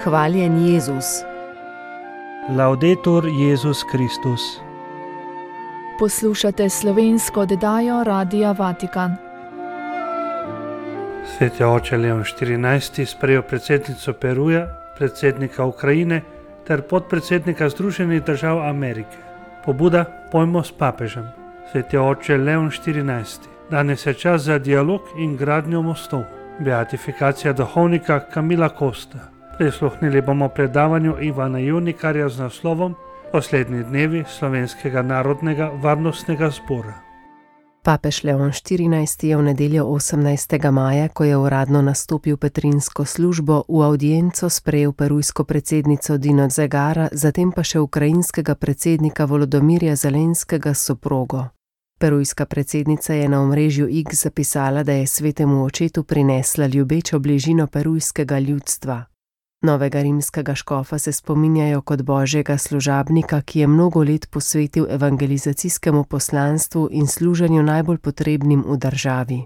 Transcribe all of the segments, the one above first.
Hvaljen Jezus. Laudetur Jezus Kristus. Poslušate slovensko oddajo Radia Vatikan. Sveti oče Leon XIV. Sprejel predsednico Peruja, predsednika Ukrajine ter podpredsednika Združenih držav Amerike. Pobuda Pojmo s papežem. Sveti oče Leon XIV. Danes je čas za dialog in gradnjo mostov. Beatifikacija duhovnika Camila Costa. Prisluhnili bomo predavanju Ivana Junikarja z naslovom Poslednji dnevi Slovenskega narodnega varnostnega zbora. Papež Leon XIV. Je v nedeljo 18. maja, ko je uradno nastopil petrinsko službo, v audienco sprejel perujsko predsednico Dino Zegara, zatem pa še ukrajinskega predsednika Volodomirja Zelenskega s soprogo. Perujska predsednica je na omrežju X zapisala, da je svetemu očetu prinesla ljubečo bližino perujskega ljudstva. Novega rimskega škofa se spominjajo kot božjega služabnika, ki je mnogo let posvetil evangelizacijskemu poslanstvu in služenju najbolj potrebnim v državi.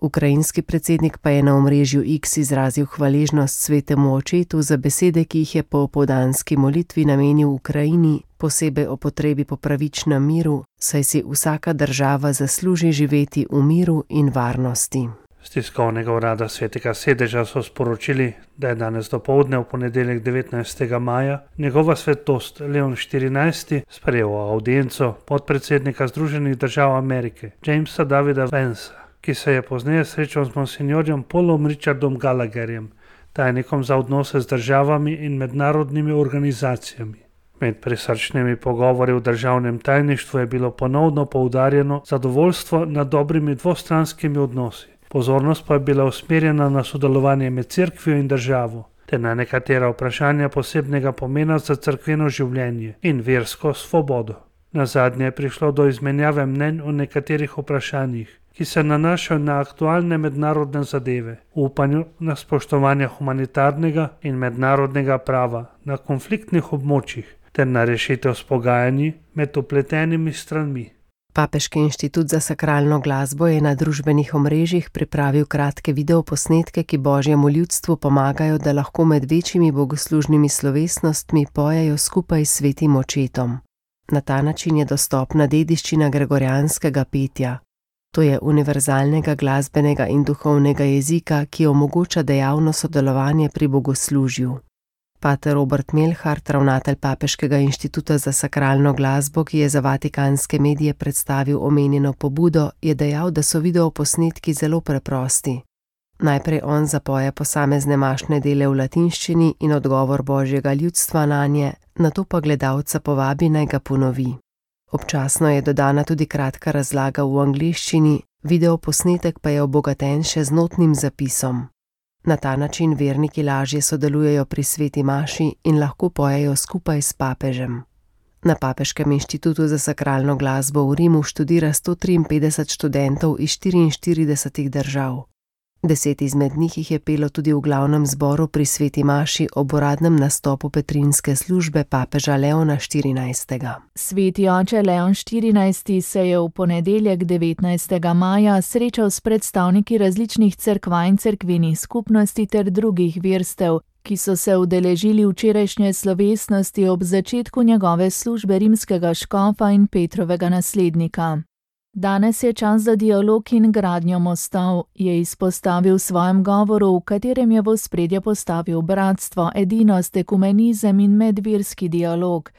Ukrajinski predsednik pa je na omrežju X izrazil hvaležnost svetemu očetu za besede, ki jih je po opoldanski molitvi namenil Ukrajini, posebej o potrebi po pravičnem miru, saj si vsaka država zasluži živeti v miru in varnosti. Z tiskovnega urada Svetega sedeža so sporočili, da je danes dopoldne v ponedeljek 19. maja njegova svetost Leon XIV. Sprejel audienco podpredsednika Združenih držav Amerike Jamesa Davida Vansa, ki se je pozneje srečal z monsinjorjem Paulom Richardom Gallagherjem, tajnikom za odnose z državami in mednarodnimi organizacijami. Med prisrčnimi pogovori v državnem tajništvu je bilo ponovno poudarjeno zadovoljstvo nad dobrimi dvostranskimi odnosi. Pozornost pa je bila usmerjena na sodelovanje med cerkvijo in državo, ter na nekatera vprašanja posebnega pomena za cerkveno življenje in versko svobodo. Nazadnje je prišlo do izmenjave mnenj o nekaterih vprašanjih, ki se nanašajo na aktualne mednarodne zadeve, v upanju na spoštovanje humanitarnega in mednarodnega prava na konfliktnih območjih ter na rešitev s pogajanji med vpletenimi stranmi. Papeški inštitut za sakralno glasbo je na družbenih omrežjih pripravil kratke videoposnetke, ki božjemu ljudstvu pomagajo, da lahko med večjimi bogoslužnimi slovesnostmi pojejo skupaj s svetim očetom. Na ta način je dostopna dediščina gregorijanskega petja. To je univerzalnega glasbenega in duhovnega jezika, ki omogoča dejavno sodelovanje pri bogoslužju. Pater Robert Melhart, ravnatelj Papeškega inštituta za sakralno glasbo, ki je za vatikanske medije predstavil omenjeno pobudo, je dejal, da so videoposnetki zelo preprosti. Najprej on zapoje posamezne mašne dele v latinščini in odgovor božjega ljudstva nanje, nato pa gledalca povabi, naj ga ponovi. Občasno je dodana tudi kratka razlaga v angleščini, videoposnetek pa je obogaten še z notnim zapisom. Na ta način verniki lažje sodelujejo pri sveti maši in lahko pojejo skupaj s papežem. Na Papeškem inštitutu za sakralno glasbo v Rimu študira 153 študentov iz 44 držav. 10 izmed njih jih je pelo tudi v glavnem zboru pri sveti maši ob uradnem nastopu petrinske službe papeža Leona XIV. Sveti oče Leon XIV. Se je v ponedeljek 19. maja srečal s predstavniki različnih cerkva in cerkvenih skupnosti ter drugih verstev, ki so se udeležili včerajšnje slovesnosti ob začetku njegove službe rimskega škofa in Petrovega naslednika. Danes je čas za dialog in gradnjo mostov, je izpostavil v svojem govoru, v katerem je v ospredje postavil bratstvo, edinost, ekumenizem in medverski dialog.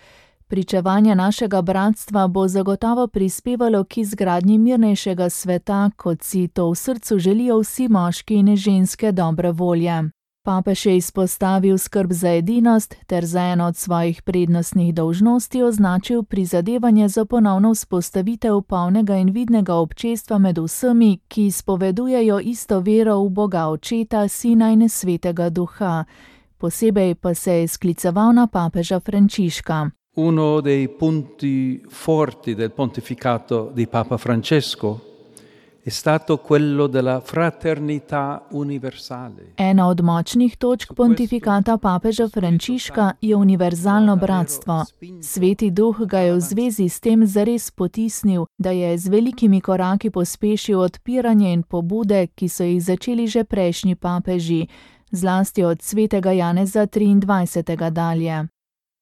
Pričevanje našega bratstva bo zagotovo prispevalo k izgradnji mirnejšega sveta, kot si to v srcu želijo vsi moški in ženske dobre volje. Papež je izpostavil skrb za edinost ter za eno od svojih prednostnih dolžnosti označil prizadevanje za ponovno vzpostavitev polnega in vidnega občestva med vsemi, ki izpovedujejo isto vero v Boga Očeta, Sina in Svetega Duha. Posebej pa se je skliceval na papeža Frančiška. Uno dei punti forti del pontificato di Papa Francesco è stato quello della fraternità universale. Ena od močnih točk pontifikata papeža Frančiška je univerzalno bratstvo. Sveti Duh ga je v zvezi s tem zares potisnil, da je z velikimi koraki pospešil odpiranje in pobude, ki so jih začeli že prejšnji papeži. zlasti od svetega Janeza 23. dalje.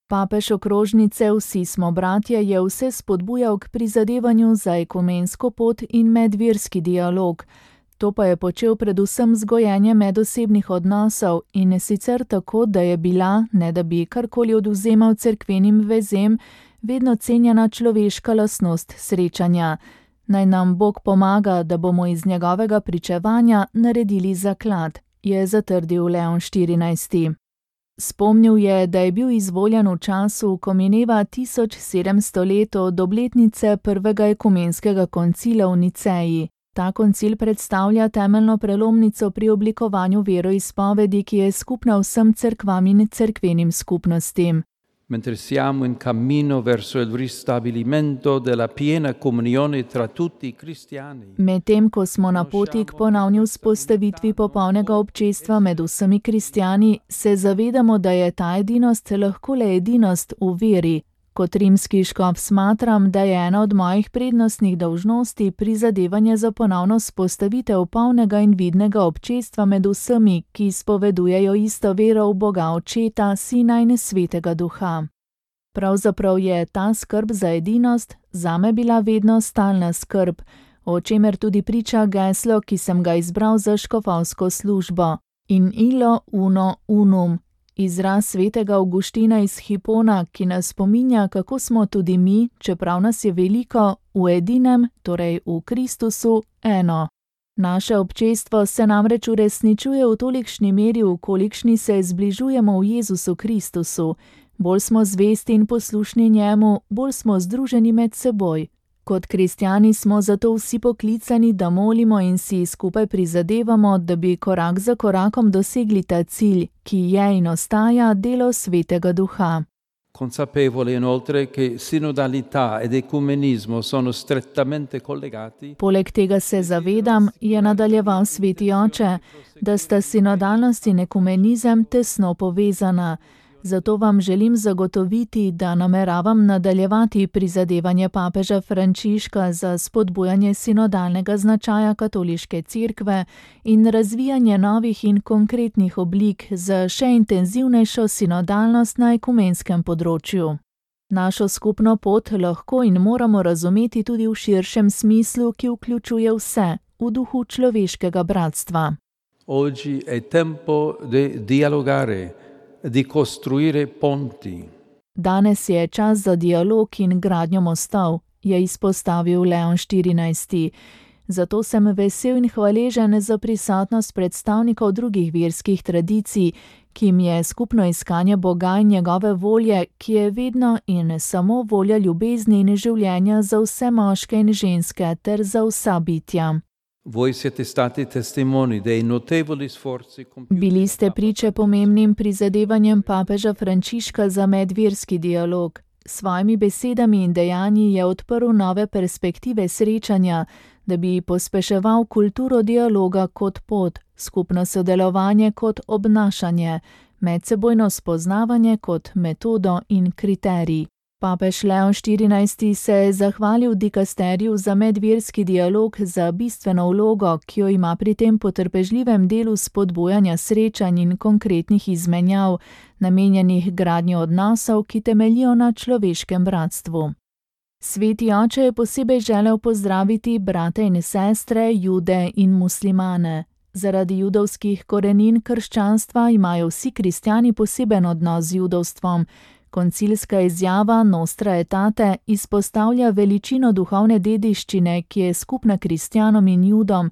Papež okrožnice Vsi smo bratje je vse spodbujal k prizadevanju za ekumensko pot in medverski dialog. To pa je počel predvsem z gojenjem medosebnih odnosov in sicer tako, da je bila, ne da bi karkoli odvzemal cerkvenim vezem, vedno cenjena človeška lastnost srečanja. Naj nam Bog pomaga, da bomo iz njegovega pričevanja naredili zaklad, je zatrdil Leon XIV. Spomnil je, da je bil izvoljen v času, ko mineva 1700 let od obletnice prvega ekumenskega koncila v Niceji. Ta koncil predstavlja temeljno prelomnico pri oblikovanju veroizpovedi, ki je skupna vsem cerkvam in cerkvenim skupnostim. Mentre siamo in cammino verso il ristabilimento della piena comunione tra tutti i cristiani. Medtem ko smo na poti k ponovni vzpostavitvi popolnega občestva med vsemi kristjani, se zavedamo, da je ta edinost lahko le edinost v veri. Kot rimski škof smatram, da je ena od mojih prednostnih dolžnosti prizadevanje za ponovno vzpostavitev polnega in vidnega občestva med vsemi, ki izpovedujejo isto vero v Boga Očeta, Sina in Svetega Duha. Pravzaprav je ta skrb za edinost zame bila vedno stalna skrb, o čemer tudi priča geslo, ki sem ga izbral za škofovsko službo. In illo uno unum. Izraz svetega Avguština iz Hipona, ki nas spominja, kako smo tudi mi, čeprav nas je veliko, v edinem, torej v Kristusu, eno. Naše občestvo se namreč uresničuje v tolikšni meri, v kolikšni se zbližujemo v Jezusu Kristusu. Bolj smo zvesti in poslušni njemu, bolj smo združeni med seboj. Kot kristjani smo zato vsi poklicani, da molimo in si skupaj prizadevamo, da bi korak za korakom dosegli ta cilj, ki je in ostaja delo Svetega Duha. Consapevole inoltre che sinodalità ed ecumenismo sono strettamente collegati. Poleg tega se zavedam, je nadaljeval Sveti Oče, da sta sinodalnost in ekumenizem tesno povezana. Zato vam želim zagotoviti, da nameravam nadaljevati prizadevanje papeža Frančiška za spodbujanje sinodalnega značaja katoliške cerkve in razvijanje novih in konkretnih oblik za še intenzivnejšo sinodalnost na ekumenskem področju. Našo skupno pot lahko in moramo razumeti tudi v širšem smislu, ki vključuje vse, v duhu človeškega bratstva. Oggi è tempo di dialogare, di costruire ponti. Danes je čas za dialog in gradnjo mostov, je izpostavil Leon XIV. Zato sem vesel in hvaležen za prisotnost predstavnikov drugih verskih tradicij, ki jim je skupno iskanje Boga in njegove volje, ki je vedno in samo volja ljubezni in življenja za vse moške in ženske ter za vsa bitja. Voi siete stati testimoni dei notevoli sforzi compiuti. Bili ste priče pomembnim prizadevanjem papeža Frančiška za medverski dialog. S svojimi besedami in dejanji je odprl nove perspektive srečanja, da bi pospeševal kulturo dialoga kot pot, skupno sodelovanje kot obnašanje, medsebojno spoznavanje kot metodo in kriterij. Papež Leon XIV se je zahvalil dikasteriju za medverski dialog za bistveno vlogo, ki jo ima pri tem potrpežljivem delu spodbujanja srečanj in konkretnih izmenjav, namenjenih gradnji odnosov, ki temeljijo na človeškem bratstvu. Sveti Oče je posebej želel pozdraviti brate in sestre, Jude in muslimane. Zaradi judovskih korenin krščanstva imajo vsi kristjani poseben odnos z judovstvom. Koncilska izjava Nostra Aetate izpostavlja veličino duhovne dediščine, ki je skupna kristjanom in judom,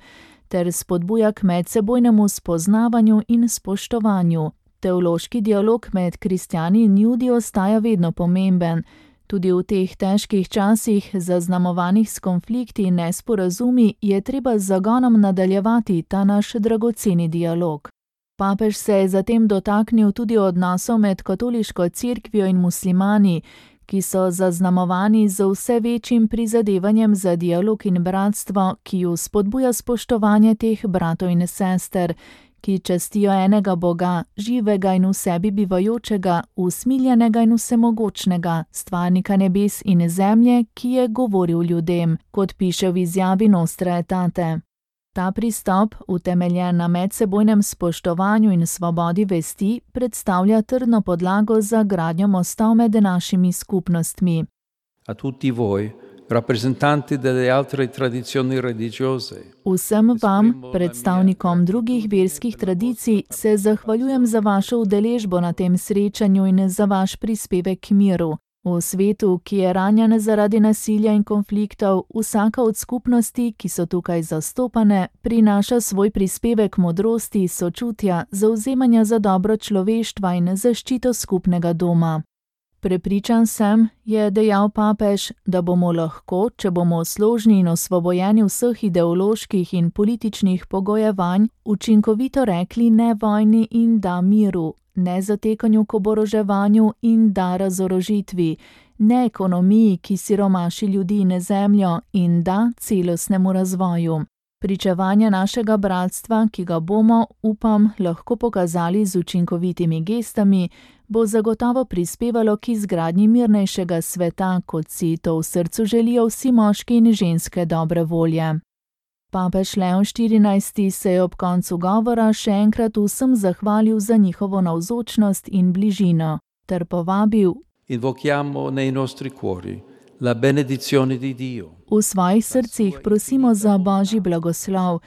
ter spodbuja k medsebojnemu spoznavanju in spoštovanju. Teološki dialog med kristjani in judi ostaja vedno pomemben. Tudi v teh težkih časih, zaznamovanih s konflikti in nesporazumi, je treba z zagonom nadaljevati ta naš dragoceni dialog. Papež se je zatem dotaknil tudi odnosov med katoliško cerkvijo in muslimani, ki so zaznamovani z vse večjim prizadevanjem za dialog in bratstvo, ki ju spodbuja spoštovanje teh bratov in sester, ki častijo enega Boga, živega in v sebi bivajočega, usmiljenega in vsemogočnega, stvarnika nebes in zemlje, ki je govoril ljudem, kot piše v izjavi Nostra Aetate. Ta pristop, utemeljen na medsebojnem spoštovanju in svobodi vesti, predstavlja trdno podlago za gradnjo mostov med našimi skupnostmi. A tutti voi, rappresentanti delle altre tradizioni religiose. Vsem vam, predstavnikom drugih verskih tradicij, se zahvaljujem za vašo udeležbo na tem srečanju in za vaš prispevek k miru. V svetu, ki je ranjen zaradi nasilja in konfliktov, vsaka od skupnosti, ki so tukaj zastopane, prinaša svoj prispevek modrosti, sočutja, zavzemanja za dobro človeštva in zaščito skupnega doma. Prepričan sem, je dejal papež, da bomo lahko, če bomo složni in osvobojeni vseh ideoloških in političnih pogojevanj, učinkovito rekli ne vojni in da miru, ne zatekanju k oboroževanju in da razorožitvi, ne ekonomiji, ki siromaši ljudi in zemljo, in da celostnemu razvoju. Pričevanje našega bratstva, ki ga bomo, upam, lahko pokazali z učinkovitimi gestami, bo zagotovo prispevalo k izgradnji mirnejšega sveta, kot si to v srcu želijo vsi moški in ženske dobre volje. Papež Leon XIV se je ob koncu govora še enkrat vsem zahvalil za njihovo navzočnost in bližino, ter povabil: Invochiamo nei nostri cuori la benedizione di Dio. V svojih srcih prosimo za Božji blagoslov.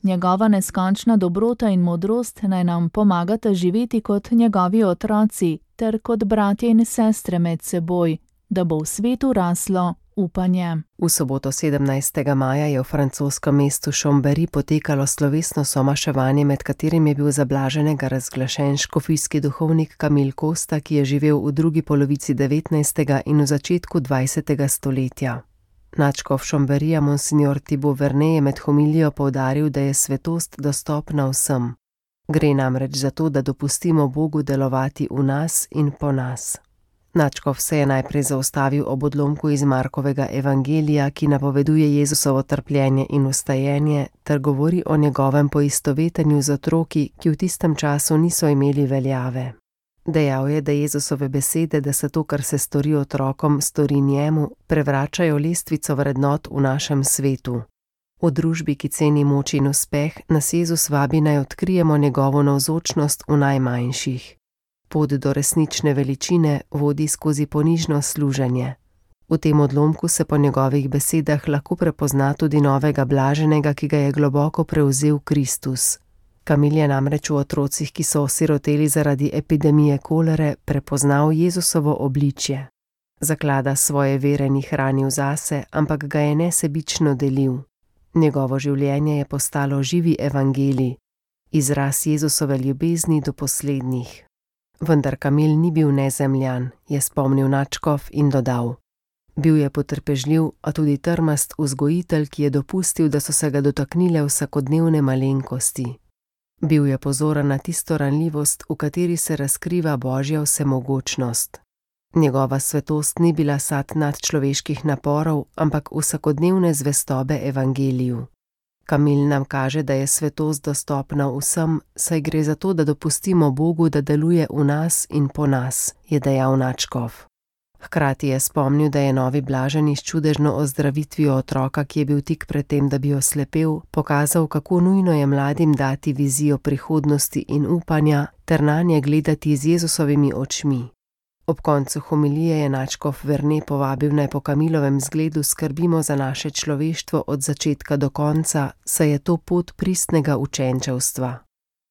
Njegova neskončna dobrota in modrost naj nam pomagata živeti kot njegovi otroci ter kot bratje in sestre med seboj, da bo v svetu raslo upanje. V soboto 17. maja je v francoskem mestu Chambéry potekalo slovesno somaševanje, med katerim je bil za blaženega razglašen škofijski duhovnik Camille Costa, ki je živel v drugi polovici 19. in v začetku 20. stoletja. Nadškof Chambéryja monsignor Thibaut Vernet je med homilijo poudaril, da je svetost dostopna vsem. Gre namreč za to, da dopustimo Bogu delovati v nas in po nas. Nadškof se je najprej zaustavil ob odlomku iz Markovega evangelija, ki napoveduje Jezusovo trpljenje in vstajenje, ter govori o njegovem poistovetenju z otroki, ki v tistem času niso imeli veljave. Dejal je, da Jezusove besede, da se to, kar se stori otrokom, stori njemu, prevračajo lestvico vrednot v našem svetu. V družbi, ki ceni moč in uspeh, nas Jezus vabi naj odkrijemo njegovo navzočnost v najmanjših. Pot do resnične veličine vodi skozi ponižno služenje. V tem odlomku se po njegovih besedah lahko prepozna tudi novega blaženega, ki ga je globoko prevzel Kristus. Camille je namreč v otrocih, ki so osiroteli zaradi epidemije kolere, prepoznal Jezusovo obličje. Zaklada svoje vere ni hranil zase, ampak ga je nesebično delil. Njegovo življenje je postalo živi evangelij, izraz Jezusove ljubezni do poslednjih. Vendar Camille ni bil nezemljan, je spomnil nadškof in dodal: Bil je potrpežljiv, a tudi trmast vzgojitelj, ki je dopustil, da so se ga dotaknile vsakodnevne malenkosti. Bil je pozoren na tisto ranljivost, v kateri se razkriva Božja vsemogočnost. Njegova svetost ni bila sad nadčloveških naporov, ampak vsakodnevne zvestobe evangeliju. Camille nam kaže, da je svetost dostopna vsem, saj gre za to, da dopustimo Bogu, da deluje v nas in po nas, je dejal nadškof. Hkrati je spomnil, da je novi blaženi s čudežno ozdravitvijo otroka, ki je bil tik pred tem, da bi oslepel, pokazal, kako nujno je mladim dati vizijo prihodnosti in upanja ter nanje gledati z Jezusovimi očmi. Ob koncu homilije je nadškof Vernet povabil naj po Camillovem zgledu skrbimo za naše človeštvo od začetka do konca, saj je to pot pristnega učenčevstva.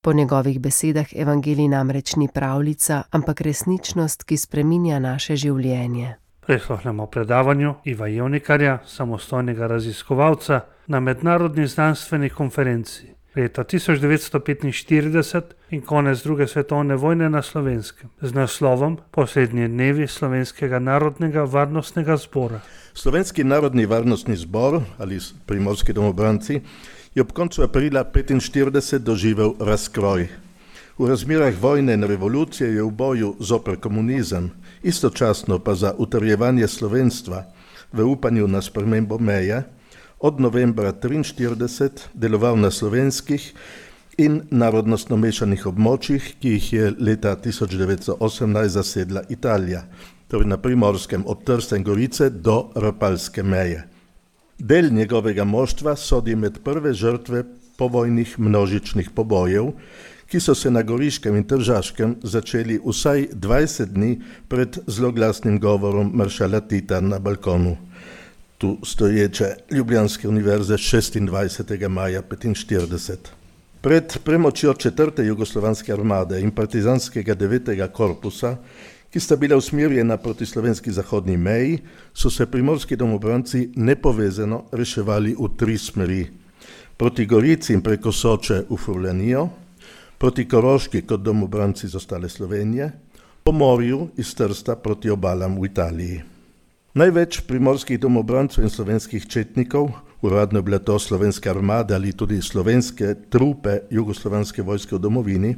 Po njegovih besedah evangelij namreč ni pravljica, ampak resničnost, ki spreminja naše življenje. Prisluhnemo predavanju Iva Jevnikarja, samostojnega raziskovalca na mednarodni znanstveni konferenci leta 1945 in konec druge svetovne vojne na Slovenskem z naslovom Poslednji dnevi Slovenskega narodnega varnostnega zbora. Slovenski narodni varnostni zbor ali Primorski domobranci je ob koncu aprila 1945 doživel razkroj. V razmerah vojne in revolucije je v boju zoper komunizem, istočasno pa za utrjevanje slovenstva v upanju na spremembo meje, od novembra 1943 deloval na slovenskih in narodnostno mešanih območjih, ki jih je leta 1918 zasedla Italija, torej na Primorskem od Trsta in Gorice do Rapalske meje. Del njegovega moštva sodi med prve žrtve povojnih množičnih pobojev, ki so se na Goriškem in Tržaškem začeli vsaj 20 dni pred zloglasnim govorom maršala Tita na balkonu tu stoječe Ljubljanske univerze 26. maja 1945. Pred premočjo 4. jugoslovanske armade in partizanskega 9. korpusa, ki sta bila usmerjena proti slovenski zahodni meji, so se primorski domobranci nepovezano reševali v 3 smeri. Proti Gorici in preko Soče v Furlanijo, proti Koroški kot domobranci z ostale Slovenije, po morju iz Trsta proti obalam v Italiji. Največ primorskih domobrancev in slovenskih četnikov, uradno je bila to slovenska armada ali tudi slovenske trupe jugoslovanske vojske v domovini,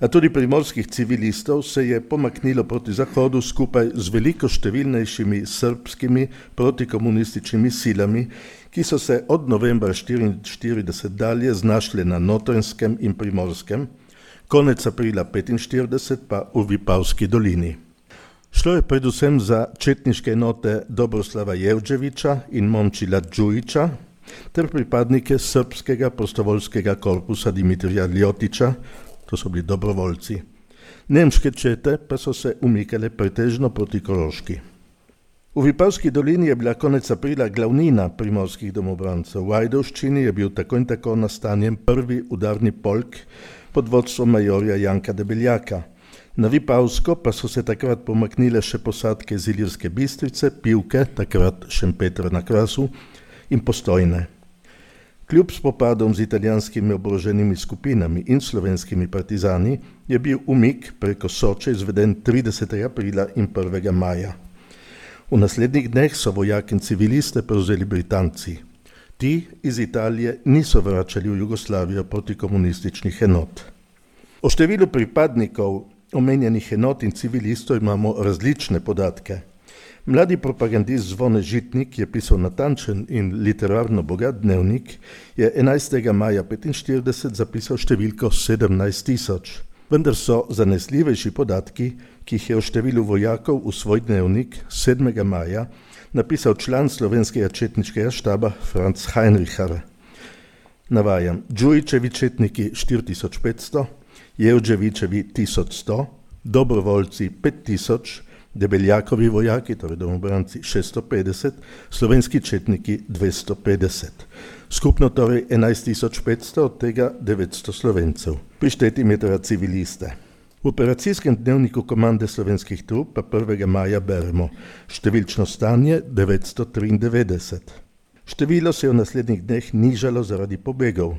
a tudi primorskih civilistov se je pomaknilo proti zahodu skupaj z veliko številnejšimi srbskimi protikomunističnimi silami, ki so se od novembra 1944 dalje znašle na Notranjskem in Primorskem, konec aprila 1945 pa v Vipavski dolini. Šlo je predvsem za četniške enote Dobroslava Jevđevića in Momčila Đujića ter pripadnike srpskega prostovoljskega korpusa Dimitrija Ljotića, to so bili dobrovoljci. Nemške čete pa so se umikale pretežno proti Koroški. V Vipavski dolini je bila konec aprila glavnina primorskih domobrancev. V Ajdovščini je bil tako in tako nastanjen prvi udarni polk pod vodstvom majorja Janka Debeljaka. Na Vipavsko pa so se takrat pomaknile še posadke iz Ilirske Bistrice, Pivke, takrat Šempetra na Krasu, in Postojne. Kljub spopadom z italijanskimi oboroženimi skupinami in slovenskimi partizani je bil umik preko Soče izveden 30. aprila in 1. maja. V naslednjih dneh so vojaki in civiliste prevzeli Britanci. Ti iz Italije niso vračali v Jugoslavijo proti komunističnih enot. O številu pripadnikov omenjenih enot in civilistov imamo različne podatke. Mladi propagandist Zvone Žitnik je pisal natančen in literarno bogat dnevnik, je 11. maja 1945 zapisal številko 17.000. Vendar so zanesljivejši podatki, ki jih je o številu vojakov v svoj dnevnik 7. maja napisal član slovenskega četniškega štaba Franz Heinrichar. Navajam, Đujićevi četniki 4500, Jevđevićevi 1100, dobrovoljci 5000, Debeljakovi vojaki, torej domobranci 650, slovenski četniki 250. Skupno torej 11.500, od tega 900 Slovencev. Prišteti je teda civiliste. V operacijskem dnevniku komande slovenskih trup pa 1. maja beremo številčno stanje 993. Število se je v naslednjih dneh nižalo zaradi pobegov.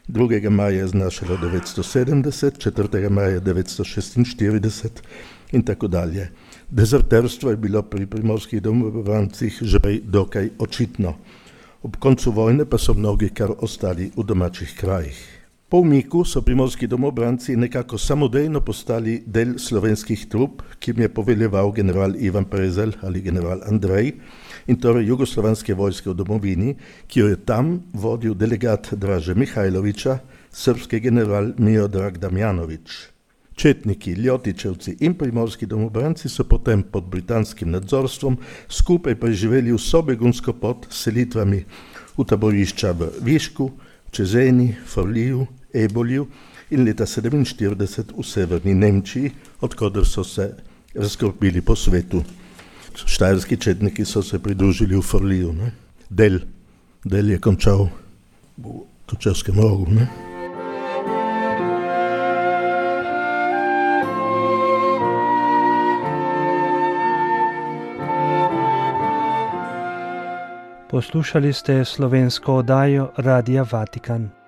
2. maja je znašalo 970, 4. maja 946 in tako dalje. Dezerterstvo je bilo pri primorskih domobrancih že prej dokaj očitno. Ob koncu vojne pa so mnogi kar ostali v domačih krajih. Po umiku so primorski domobranci nekako samodejno postali del slovenskih trup, ki jim je poveljeval general Ivan Prezelj ali general Andrej, in torej jugoslovanske vojske v domovini, ki jo je tam vodil delegat Draže Mihajlovića, srpski general Miodrag Damjanović. Četniki, Ljotićevci in primorski domobranci so potem pod britanskim nadzorstvom skupaj preživeli vso begunsko pot s selitvami v taborišča v Višku, Čezeni, Forliju, Ebolju in leta 1947 v severni Nemčiji, odkoder so se razkropili po svetu. Štajerski četniki so se pridružili v Forliju. Del je končal v Kočevskem rogu. Poslušali ste slovensko oddajo Radia Vatikan.